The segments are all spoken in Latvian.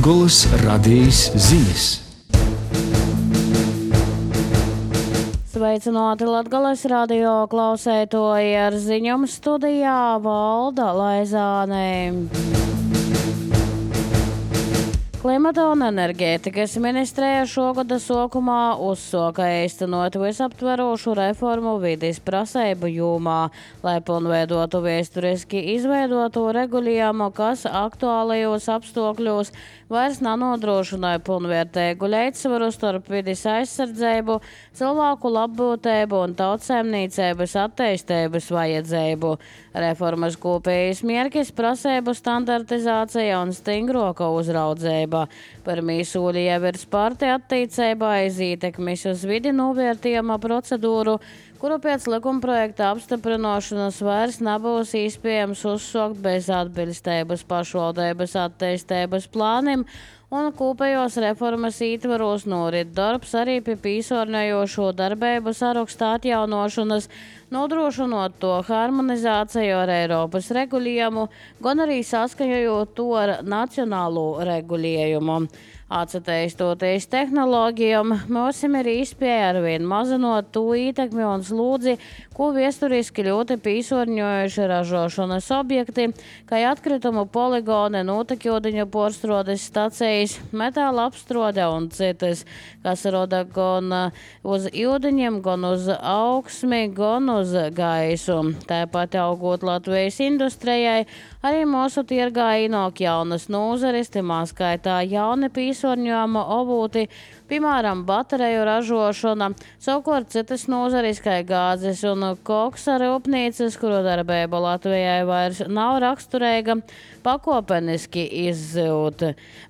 Latgolas radījis ziņas. Sveicināti Latgales radio klausētoji, ar ziņām studijā Valda Laizāne. Klimata un enerģētikas ministrija šogada sākumā uzsāka īstenot visaptverošu reformu vides prasību jomā, lai pilnveidotu vēsturiski izveidoto regulējumu, kas aktuālajos apstākļos vairs nenodrošināja pilnvērtīgu līdzsvaru starp vides aizsardzību, cilvēku labbūtību un tautsēmniecības attīstības vajadzību. Reformas kopējais mērķis prasību standartizācija un stingroka uzraudzība. Par mīsūli jau ir spārti attīcībā aiz ietekmes uz vidi novērtējuma procedūru, kuru pēc likumprojekta apstiprināšanas vairs nebūs iespējams uzsākt bez atbilstības pašvaldības attīstības plānim, un kopējos reformas ietvaros norit darbs arī pie pīsorņojošo darbību saraksta atjaunošanas, nodrošinot to harmonizāciju ar Eiropas regulējumu, gan arī saskaņojot to ar nacionālo regulējumu. Atsatīstoties tehnoloģijām, mums ir iespēja arvien mazinot to ietekmi un slūdzi, ko vēsturiski ļoti pīsorņojuši ražošanas objekti, kā atkritumu poligoni, notekūdeņu porstrādes stacijas, metāla apstrāde un citas, kas roda gan uz ūdeņiem, gan uz augsmi, gan uz gaisu. Tāpat augot Latvijas industrijai, arī mūsu tirgā ienāk jaunas nozares, timā skaitā jauni pīsorņojuma obūti, piemēram, bateriju ražošana, savukārt citas nozares, kā gāzes un koksa rūpnīcas, kuru darbība Latvijai vairs nav raksturīga, pakopeniski izzūt.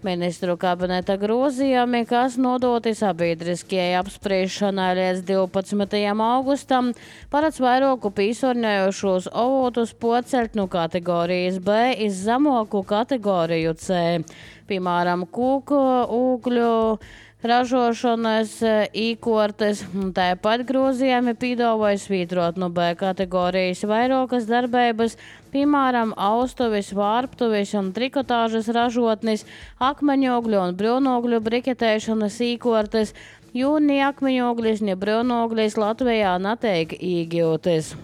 Ministru kabineta grozījumi, kas nodoti sabiedriskajai apspriešanai līdz 12. augustam, paredz vairāku pīsorņojošos avotus pocelt no kategorijas B iz zemoku kategoriju C. Piemēram, kūku, ūgļu ražošanas īkortes, tāpat grozījumi piedāvāja svītrot no B kategorijas vairākas darbības, piemēram, austuvis, vārptuvis un trikotāžas ražotnis, akmeņogļu un brūnogļu briketēšanas īkortes, jo ni akmeņoglis, ni brūnoglis Latvijā netiek iegūtas.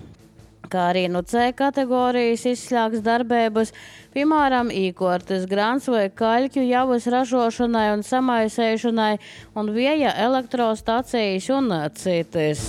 Kā arī no C kategorijas izslēgs darbības, piemēram, īkortes, grants vai kaļķu javas ražošanai un samaisēšanai un vēja elektrostacijas un citas.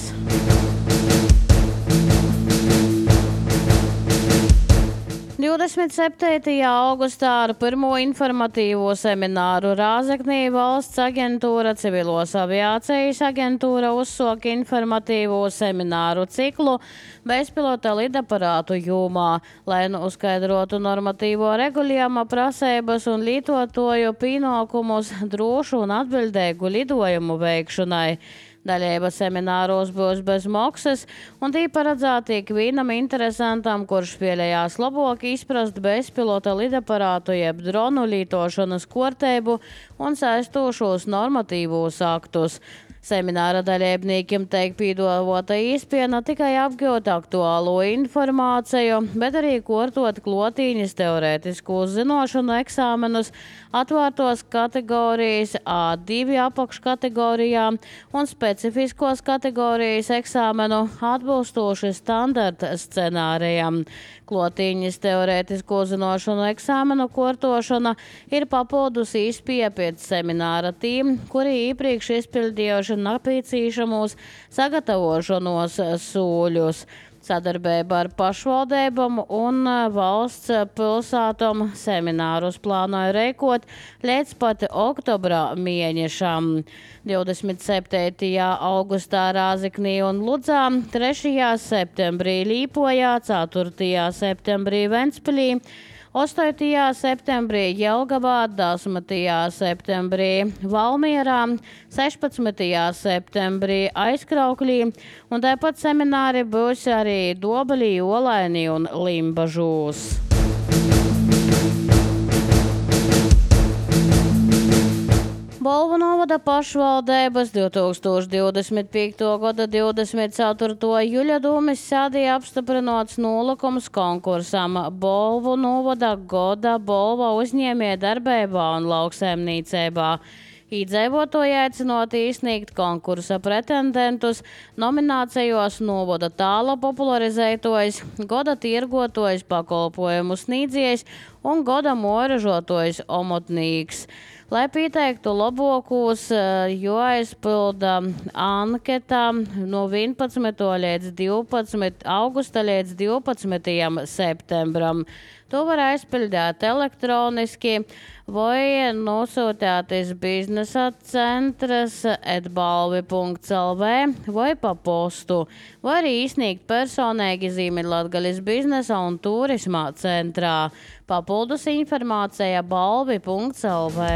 27. augustā ar pirmo informatīvo semināru Rāzaknī valsts aģentūra, civilos aviācijas aģentūra uzsāka informatīvo semināru ciklu bezpilota lidaparātu jomā, lai uzskaidrotu normatīvo regulējuma prasības un lietotāju pienākumus drošu un atbildīgu lidojumu veikšanai. Daļēba semināros būs bez maksas, un tī paredzēti ikvienam interesantam, kurš vēlējās labāk izprast bezpilota lidaparātu jeb dronu lietošanas kārtību un saistošos normatīvos aktus. Semināra dalībniekiem tiek piedāvāta iespēja ne tikai apgūt aktuālo informāciju, bet arī kārtot klotīņas teorētisko zināšanu eksāmenus atvērtos kategorijas A2 apakškategorijā un specifiskos kategorijas eksāmenu atbilstoši standarta scenārijam. Klotīņas teorētisko zināšanu eksāmenu kārtošana ir papildus iespēja pēc semināra tiem, kuri iepriekš izpildījuši nepieciešamos sagatavošanos soļus. Sadarbība ar pašvaldībām un valsts pilsētām seminārus plānoja rīkot līdz pat oktobra mēnešam. 27. augustā Rāzaknī un Ludzā, 3. septembrī Līpojā, 4. septembrī Ventspilī, 8. septembrī Jelgavā, 10. septembrī Valmierā, 16. septembrī Aizkraukļī, un tāpat semināri būs arī Dobelī, Olainī un Limbažūs. Bolvu novada pašvaldības 2025. gada 24. jūļa dūmis sēdīja apstiprinots nolīgums konkursam Bolvu novada goda Bolva uzņēmēja darbībā un lauksaimniecībā. Iedzīvotāji aicinot izsniegt konkursa pretendentus nominācijos novada tāla popularizētojs, goda tirgotojs pakalpojumu sniedzējs un goda moražotojs omotnīgs. Lai pieteiktu labākos, jāizpilda anketa no 11. līdz 12. augusta līdz 12. septembram. To var aizpildīt elektroniski vai nosūtīties biznesa centras @balvi.lv vai pa postu, vai arī izsniegt personīgi zīmi Latgaļas biznesa un turisma centrā. Papildus informācija balvi.lv.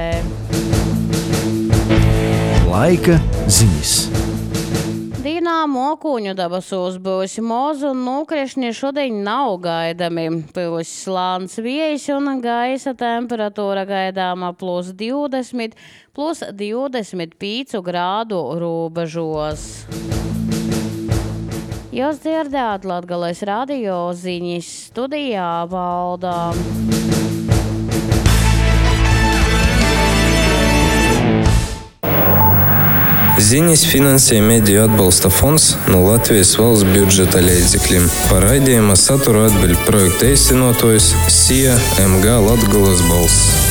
Laika ziņas. Dīnā mokūņu debesos būs mozu un nokrišņi šodien nav gaidami. Būs slāns vējš un gaisa temperatūra gaidāma +20, +25 grādu robežos. Jūs dzirdējāt Latgales radio ziņas, studijā Valdā. Ziņas finansē Mediju atbalsta fonds no Latvijas valsts budžeta līdzekļiem. Par raidījuma saturu atbild projekta īstenotājs SIA MG Latgales balss.